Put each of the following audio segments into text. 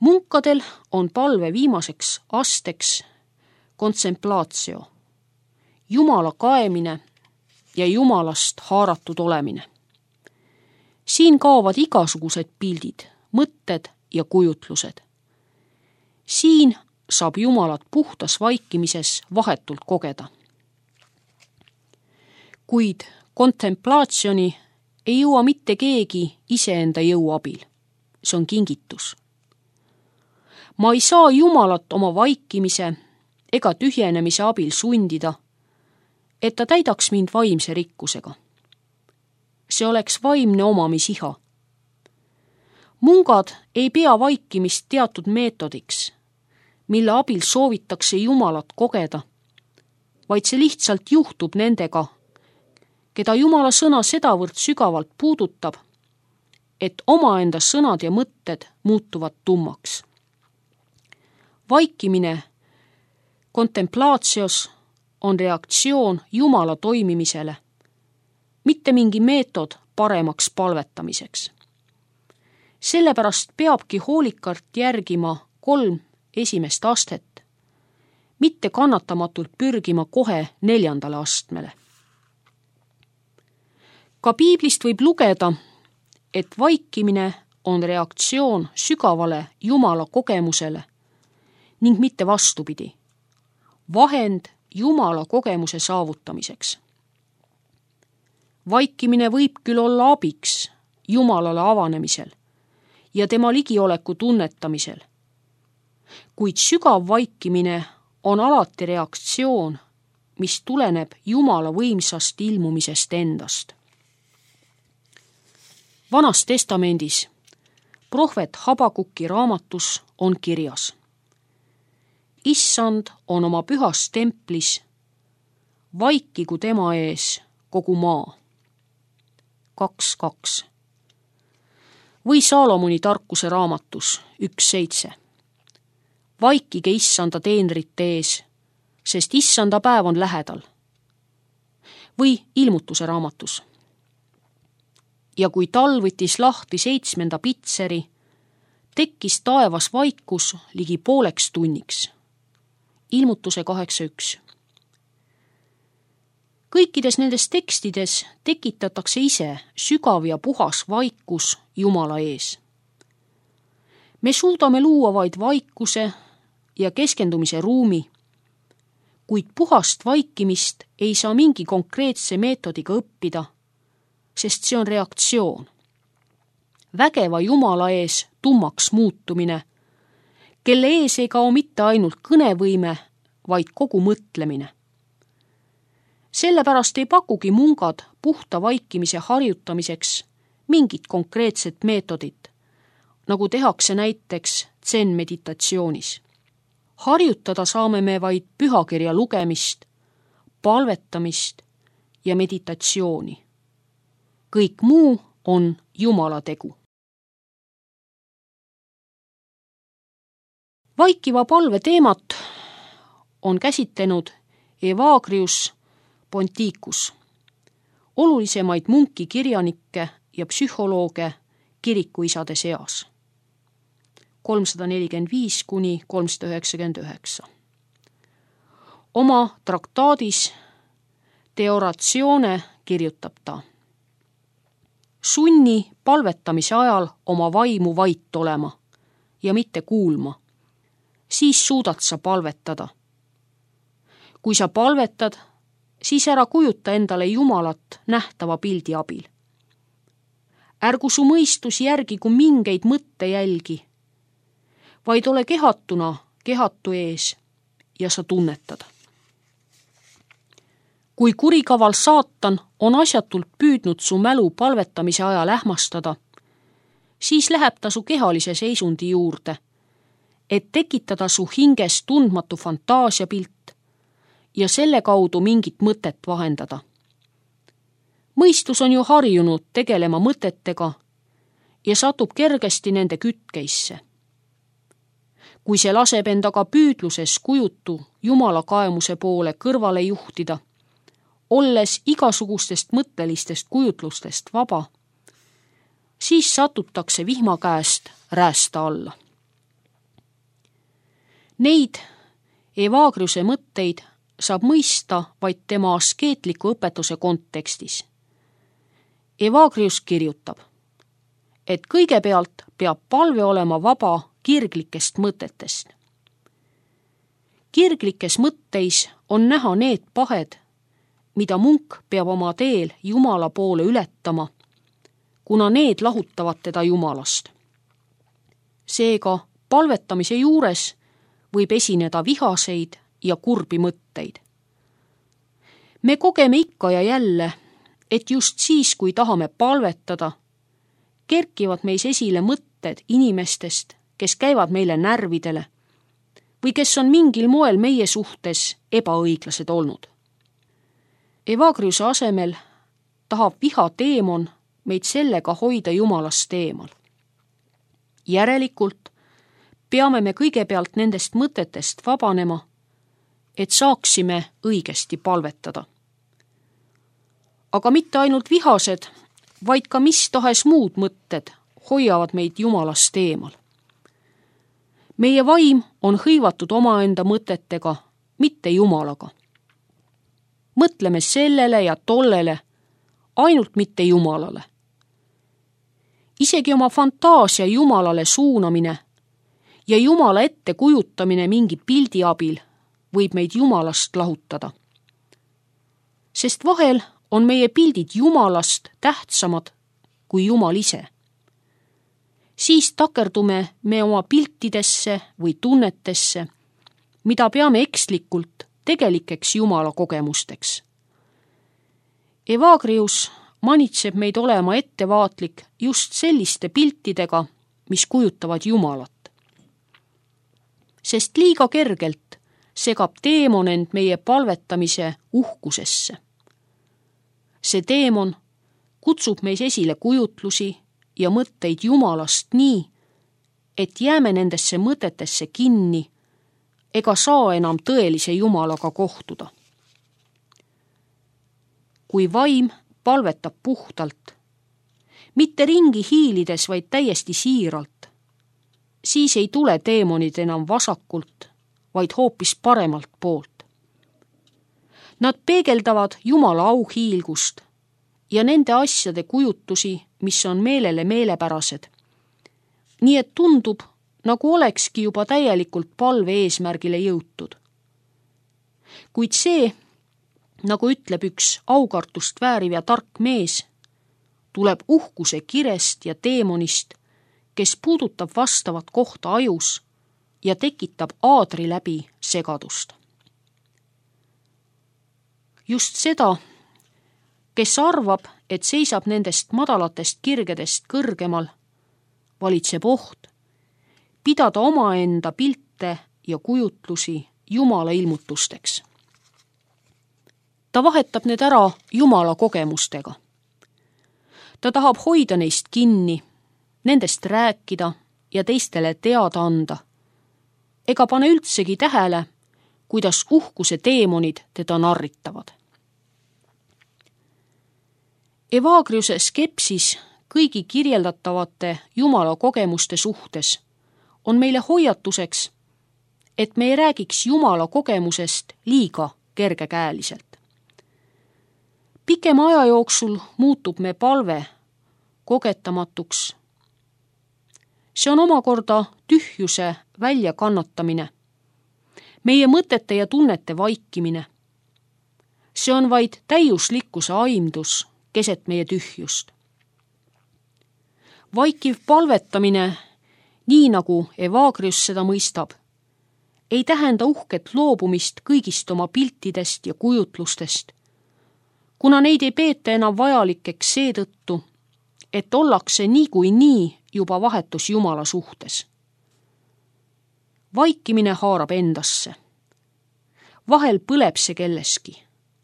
Munkadel on palve viimaseks asteks kontsemplatio, Jumala kaemine ja Jumalast haaratud olemine. Siin kaovad igasugused pildid, mõtted ja kujutlused. Siin saab Jumalat puhtas vaikimises vahetult kogeda. Kuid kontemplatsioni ei jõua mitte keegi iseenda jõu abil. See on kingitus. Ma ei saa Jumalat oma vaikimise ega tühjenemise abil sundida, et ta täidaks mind vaimse rikkusega. See oleks vaimne omamisiha. Mungad ei pea vaikimist teatud meetodiks, mille abil soovitakse Jumalat kogeda, vaid see lihtsalt juhtub nendega, keda Jumala sõna sedavõrd sügavalt puudutab, et omaenda sõnad ja mõtted muutuvad tummaks. Vaikimine kontemplatsios on reaktsioon Jumala toimimisele, mitte mingi meetod paremaks palvetamiseks. Sellepärast peabki hoolikalt järgima 3 esimest astet, mitte kannatamatult pürgima kohe 4. astmele. Ka piiblist võib lugeda, et vaikimine on reaktsioon sügavale Jumala kogemusele ning mitte vastupidi, vahend Jumala kogemuse saavutamiseks. Vaikimine võib küll olla abiks Jumalale avanemisel ja tema ligioleku tunnetamisel, kuid sügav vaikimine on alati reaktsioon, mis tuleneb Jumala võimsast ilmumisest endast. Vanas testamendis, prohvet Habakuki raamatus on kirjas: Issand on oma pühas templis, vaikigu tema ees kogu maa. 2.2. Või Saalomoni tarkuse raamatus 1.7. Vaikige Issanda teenrite ees, sest Issanda päev on lähedal. Või Ilmutuse raamatus. Ja kui talv võttis lahti 7. pitseri, tekkis taevas vaikus ligi pooleks tunniks. Ilmutuse 8.1. Kõikides nendes tekstides tekitatakse ise sügav ja puhas vaikus Jumala ees. Me suudame luua vaid vaikuse ja keskendumise ruumi, kuid puhast vaikimist ei saa mingi konkreetse meetodiga õppida, sest see on reaktsioon. Vägeva Jumala ees tummaks muutumine, kelle ees ei kao mitte ainult kõnevõime, vaid kogu mõtlemine. Sellepärast ei pakugi mungad puhta vaikimise harjutamiseks mingit konkreetset meetodit, nagu tehakse näiteks zen-meditatsioonis. Harjutada saame me vaid pühakirja lugemist, palvetamist ja meditatsiooni. Kõik muu on Jumala tegu. Vaikiva palve teemat on käsitlenud Evagrius Ponticus, olulisemaid munki kirjanikke ja psühholooge kirikuisade seas. 345–399. Oma traktaadis De Oratione kirjutab ta: sunni palvetamise ajal oma vaimu vait olema ja mitte kuulma, siis suudad sa palvetada. Kui sa palvetad, siis ära kujuta endale Jumalat nähtava pildi abil. Ärgu su mõistus järgigu mingeid mõttejälgi, vaid ole kehatuna kehatu ees ja sa tunnetad. Kui kurikaval saatan on asjatult püüdnud su mälu palvetamise ajal ähmastada, siis läheb ta su kehalise seisundi juurde, et tekitada su hinges tundmatu fantaasiapilt ja selle kaudu mingit mõtet vahendada. Mõistus on ju harjunud tegelema mõtetega ja satub kergesti nende kütkeisse. Kui see laseb endaga püüdluses kujutu Jumala kaemuse poole kõrvale juhtida, olles igasugustest mõttelistest kujutlustest vaba, siis satutakse vihma käest räästa alla. Neid Evagriuse mõtteid saab mõista vaid tema askeetliku õpetuse kontekstis. Evagrius kirjutab, et kõigepealt peab palve olema vaba kirglikest mõtetest. Kirglikes mõtteis on näha need pahed, mida munk peab oma teel Jumala poole ületama, kuna need lahutavad teda Jumalast. Seega palvetamise juures võib esineda vihaseid ja kurbi mõtteid. Me kogeme ikka ja jälle, et just siis, kui tahame palvetada, kerkivad meis esile mõtted inimestest, kes käivad meile närvidele või kes on mingil moel meie suhtes ebaõiglased olnud. Evagriuse asemel tahab vihateemon meid sellega hoida Jumalast eemal. Järelikult peame me kõigepealt nendest mõtetest vabanema, et saaksime õigesti palvetada. Aga mitte ainult vihased, vaid ka mis tahes muud mõtted hoiavad meid Jumalast eemal. Meie vaim on hõivatud omaenda mõtetega, mitte Jumalaga. Mõtleme sellele ja tollele, ainult mitte Jumalale. Isegi oma fantaasia Jumalale suunamine ja Jumala ette kujutamine mingi pildi abil võib meid Jumalast lahutada. Sest vahel on meie pildid Jumalast tähtsamad kui Jumal ise. Siis takerdume me oma piltidesse või tunnetesse, mida peame ekslikult tegelikeks Jumala kogemusteks. Evagrius manitseb meid olema ettevaatlik just selliste piltidega, mis kujutavad Jumalat. Sest liiga kergelt segab teemon end meie palvetamise uhkusesse. See teemon kutsub meis esile kujutlusi ja mõtteid Jumalast nii, et jääme nendesse mõtetesse kinni ega saa enam tõelise Jumalaga kohtuda. Kui vaim palvetab puhtalt, mitte ringi hiilides, vaid täiesti siiralt, siis ei tule teemonid enam vasakult, vaid hoopis paremalt poolt. Nad peegeldavad Jumala auhiilgust ja nende asjade kujutusi, mis on meelele meelepärased. Nii et tundub, nagu olekski juba täielikult palve eesmärgile jõutud. Kuid see, nagu ütleb üks aukartust vääriv ja tark mees, tuleb uhkuse kirest ja teemonist, kes puudutab vastavat kohta ajus ja tekitab aadri läbi segadust. Just seda, kes arvab, et seisab nendest madalatest kirgedest kõrgemal, valitseb oht pidada omaenda pilte ja kujutlusi Jumala ilmutusteks. Ta vahetab need ära Jumala kogemustega. Ta tahab hoida neist kinni, nendest rääkida ja teistele teada anda, ega pane üldsegi tähele, kuidas uhkuse teemonid teda narritavad. Evagriuse skepsis kõigi kirjeldatavate Jumala kogemuste suhtes on meile hoiatuseks, et me ei räägiks Jumala kogemusest liiga kergekäeliselt. Pikema aja jooksul muutub me palve kogetamatuks. See on omakorda tühjuse väljakannatamine, meie mõtete ja tunnete vaikimine. See on vaid täiuslikkuse aimdus keset meie tühjust. Vaikiv palvetamine, nii nagu Evagrius seda mõistab, ei tähenda uhket loobumist kõigist oma piltidest ja kujutlustest, kuna neid ei peeta enam vajalikeks seetõttu, et ollakse niikuinii juba vahetus Jumala suhtes. Vaikimine haarab endasse. Vahel põleb see kelleski,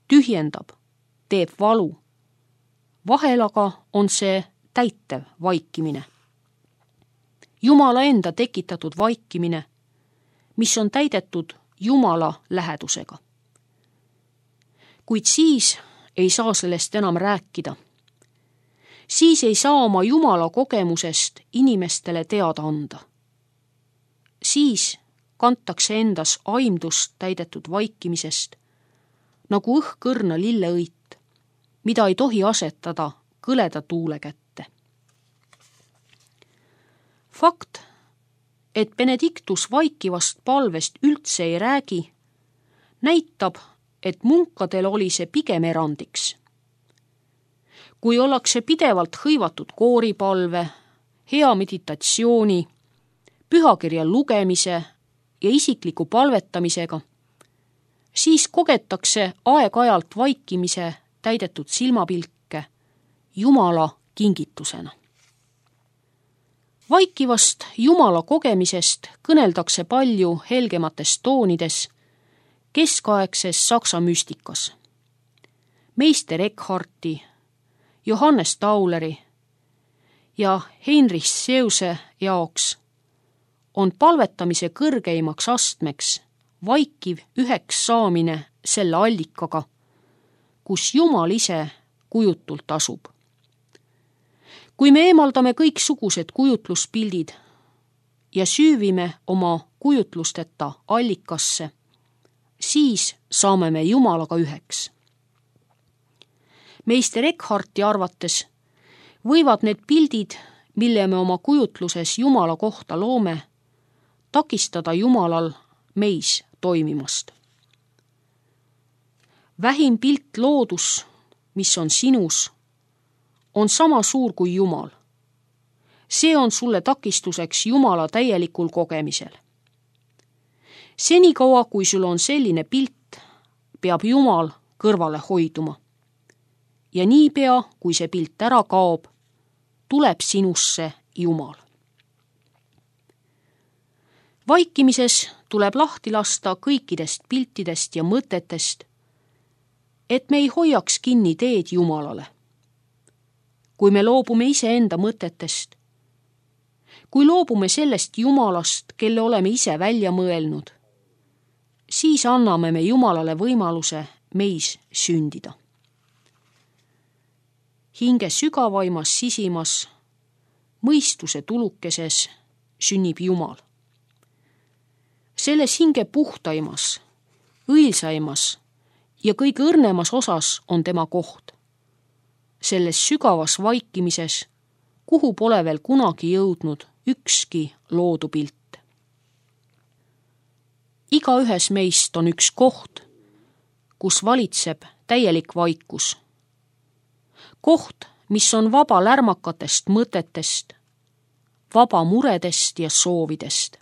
tühjendab, teeb valu. Vahel aga on see täitev vaikimine. Jumala enda tekitatud vaikimine, mis on täidetud Jumala lähedusega. Kuid siis ei saa sellest enam rääkida. Siis ei saa oma Jumala kogemusest inimestele teada anda. Siis kantakse endas aimdust täidetud vaikimisest, nagu õhkõrna lilleõit, mida ei tohi asetada kõleda tuule kätte. Fakt, et Benedictus vaikivast palvest üldse ei räägi, näitab, et munkadel oli see pigem erandiks. Kui ollakse pidevalt hõivatud kooripalve, hea meditatsiooni, pühakirja lugemise ja isikliku palvetamisega, siis kogetakse aeg-ajalt vaikimise täidetud silmapilke Jumala kingitusena. Vaikivast Jumala kogemisest kõneldakse palju helgemates toonides keskaegses saksa müstikas. Meister Eckharti, Johannes Tauleri ja Heinrich Seuse jaoks on palvetamise kõrgeimaks astmeks vaikiv üheks saamine selle allikaga, kus Jumal ise kujutult asub. Kui me eemaldame kõiksugused kujutluspildid ja süüvime oma kujutlusteta allikasse, siis saame me Jumalaga üheks. Meister Eckharti arvates võivad need pildid, mille me oma kujutluses Jumala kohta loome, takistada Jumalal meis toimimast. Vähim pilt loodus, mis on sinus, on sama suur kui Jumal. See on sulle takistuseks Jumala täielikul kogemisel. Senikaua, kui sul on selline pilt, peab Jumal kõrvale hoiduma. Ja niipea, kui see pilt ära kaob, tuleb sinusse Jumal. Vaikimises tuleb lahti lasta kõikidest piltidest ja mõtetest, et me ei hoiaks kinni teed Jumalale. Kui me loobume iseenda mõtetest, kui loobume sellest Jumalast, kelle oleme ise välja mõelnud, siis anname me Jumalale võimaluse meis sündida. Hinge sügavaimas sisimas, mõistuse tulukeses sünnib Jumal. Selles hinge puhtaimas, õilsaimas ja kõige õrnemas osas on tema koht. Selles sügavas vaikimises, kuhu pole veel kunagi jõudnud ükski loodupilt. Igaühes meist on üks koht, kus valitseb täielik vaikus. Koht, mis on vaba lärmakatest mõtetest, vaba muredest ja soovidest.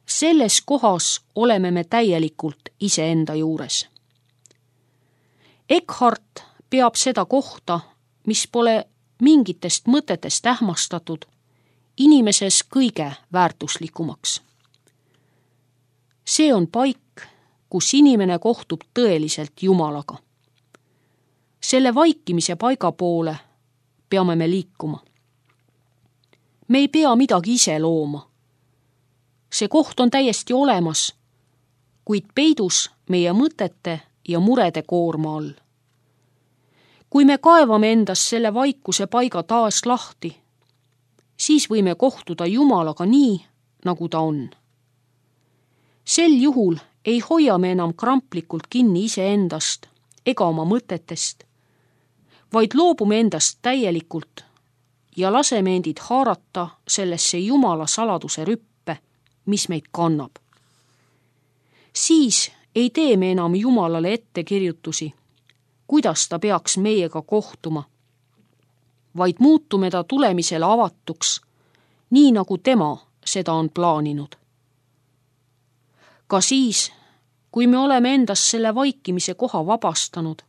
Selles kohas oleme me täielikult iseenda juures. Eckhart peab seda kohta, mis pole mingitest mõtetest ähmastatud, inimeses kõige väärtuslikumaks. See on paik, kus inimene kohtub tõeliselt Jumalaga. Selle vaikimise paiga poole peame me liikuma. Me ei pea midagi ise looma. See koht on täiesti olemas, kuid peidus meie mõtete ja murede koorma all. Kui me kaevame endas selle vaikuse paiga taas lahti, siis võime kohtuda Jumalaga nii, nagu ta on. Sel juhul ei hoia me enam kramplikult kinni iseendast ega oma mõtetest, vaid loobume endast täielikult ja laseme endid haarata sellesse Jumala saladuse rüppe, mis meid kannab. Siis ei tee me enam Jumalale ettekirjutusi, kuidas ta peaks meiega kohtuma, vaid muutume ta tulemisele avatuks, nii nagu tema seda on plaaninud. Ka siis, kui me oleme endast selle vaikimise koha vabastanud,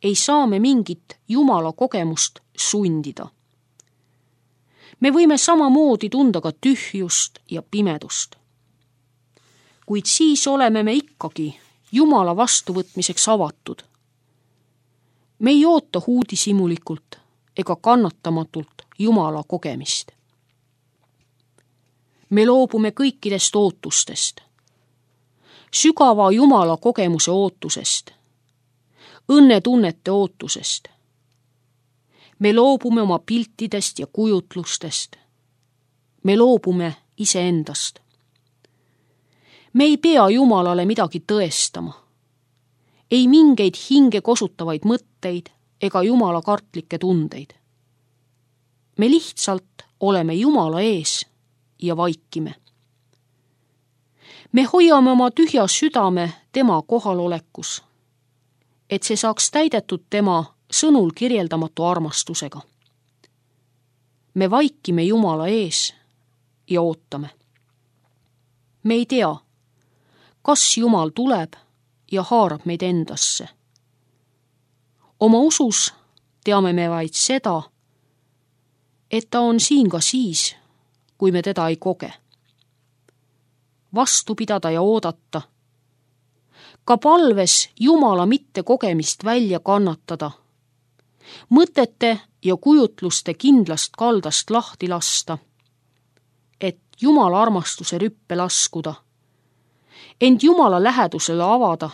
ei saa me mingit Jumala kogemust sundida. Me võime samamoodi tunda ka tühjust ja pimedust. Kuid siis oleme me ikkagi Jumala vastuvõtmiseks avatud. Me ei oota huudisimulikult ega kannatamatult Jumala kogemist. Me loobume kõikidest ootustest, sügava Jumala kogemuse ootusest, õnnetunnete ootusest. Me loobume oma piltidest ja kujutlustest. Me loobume iseendast. Me ei pea Jumalale midagi tõestama. Ei mingeid hinge kosutavaid mõtteid ega Jumala kartlikke tundeid. Me lihtsalt oleme Jumala ees ja vaikime. Me hoiame oma tühja südame tema kohalolekus, et see saaks täidetud tema sõnul kirjeldamatu armastusega. Me vaikime Jumala ees ja ootame. Me ei tea, kas Jumal tuleb ja haarab meid endasse. Oma usus teame me vaid seda, et ta on siin ka siis, kui me teda ei koge. Vastu pidada ja oodata. Ka palves Jumala mittekogemist välja kannatada. Mõtete ja kujutluste kindlast kaldast lahti lasta, et Jumala armastuse rüppe laskuda, end Jumala lähedusele avada,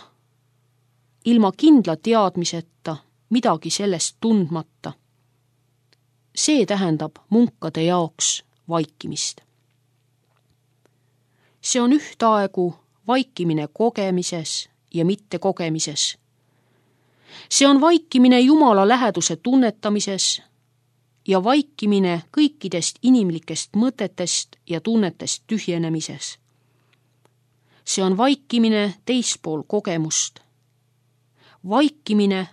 ilma kindla teadmiseta, midagi sellest tundmata. See tähendab munkade jaoks vaikimist. See on ühtaegu vaikimine kogemises ja mittekogemises. See on vaikimine Jumala läheduse tunnetamises ja vaikimine kõikidest inimlikest mõtetest ja tunnetest tühjenemises. See on vaikimine teispool kogemust. Vaikimine,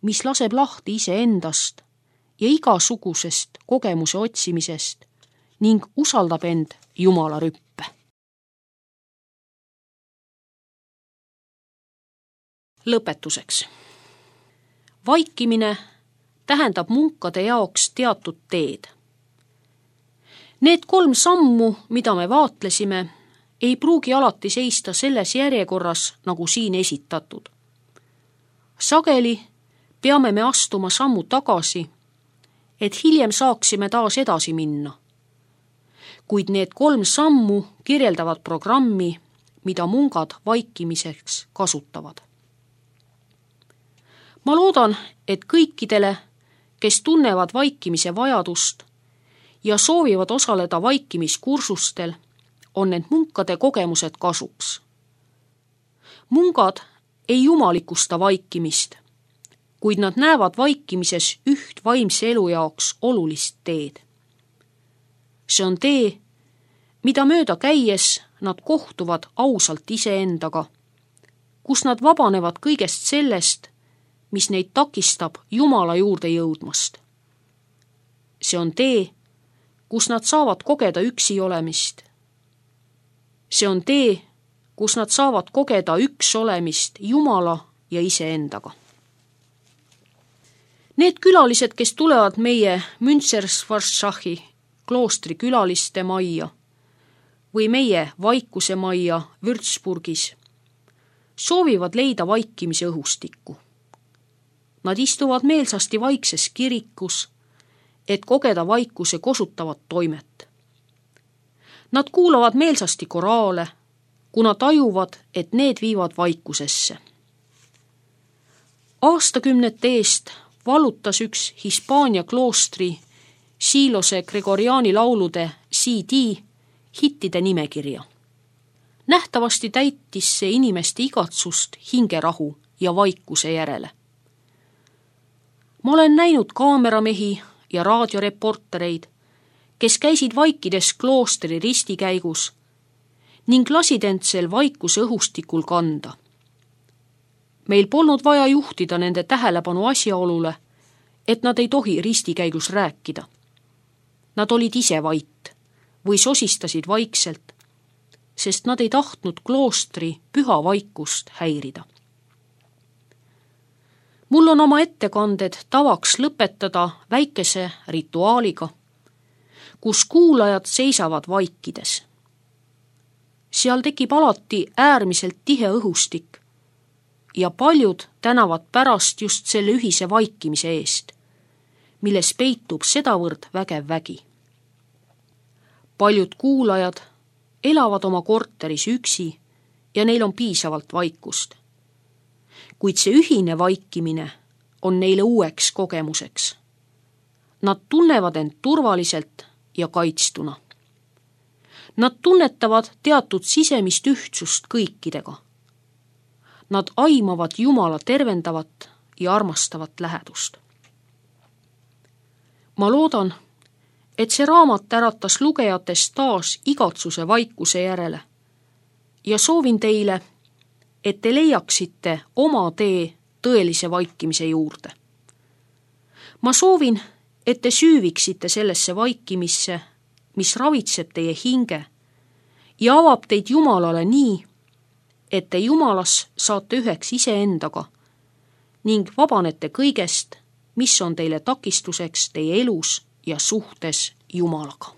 mis laseb lahti iseendast ja igasugusest kogemuse otsimisest ning usaldab end Jumala rüppe. Lõpetuseks. Vaikimine tähendab munkade jaoks teatud teed. Need 3 sammu, mida me vaatlesime, ei pruugi alati seista selles järjekorras, nagu siin esitatud. Sageli peame me astuma sammu tagasi, et hiljem saaksime taas edasi minna. Kuid need 3 sammu kirjeldavad programmi, mida mungad vaikimiseks kasutavad. Ma loodan, et kõikidele, kes tunnevad vaikimise vajadust ja soovivad osaleda vaikimiskursustel, on need munkade kogemused kasuks. Mungad ei jumalikusta vaikimist, kuid nad näevad vaikimises üht vaimse elu jaoks olulist teed. See on tee, mida mööda käies nad kohtuvad ausalt iseendaga, kus nad vabanevad kõigest sellest, mis neid takistab Jumala juurde jõudmast. See on tee, kus nad saavad kogeda üksi olemist. See on tee, kus nad saavad kogeda üks olemist Jumala ja iseendaga. Need külalised, kes tulevad meie Münster-Schwarzschachi kloostri külaliste majja või meie vaikuse majja Würzburgis, soovivad leida vaikimise õhustikku. Nad istuvad meelsasti vaikses kirikus, et kogeda vaikuse kosutavat toimet. Nad kuulavad meelsasti koraale, kuna tajuvad, et need viivad vaikusesse. Aastakümnete eest vallutas üks Hispaania kloostri Silose Gregoriani laulude CD hittide nimekirja. Nähtavasti täitis see inimeste igatsust hingerahu ja vaikuse järele. Ma olen näinud kaameramehi ja raadioreportereid, kes käisid vaikides kloostri ristikäigus ning lasid end sel vaikuse õhustikul kanda. Meil polnud vaja juhtida nende tähelepanu asjaolule, et nad ei tohi ristikäigus rääkida. Nad olid ise vait või sosistasid vaikselt, sest nad ei tahtnud kloostri püha vaikust häirida. Mul on oma ettekanded tavaks lõpetada väikese rituaaliga, kus kuulajad seisavad vaikides. Seal tekib alati äärmiselt tihe õhustik ja paljud tänavad pärast just selle ühise vaikimise eest, milles peitub sedavõrd vägev vägi. Paljud kuulajad elavad oma korteris üksi ja neil on piisavalt vaikust. Kuid see ühine vaikimine on neile uueks kogemuseks. Nad tunnevad end turvaliselt ja kaitstuna. Nad tunnetavad teatud sisemist ühtsust kõikidega. Nad aimavad Jumala tervendavat ja armastavat lähedust. Ma loodan, et see raamat äratas lugejates taas igatsuse vaikuse järele ja soovin teile, et te leiaksite oma tee tõelise vaikimise juurde. Ma soovin, et te süüviksite sellesse vaikimisse, mis ravitseb teie hinge ja avab teid Jumalale nii, et te Jumalas saate üheks iseendaga ning vabanete kõigest, mis on teile takistuseks teie elus ja suhtes Jumalaga.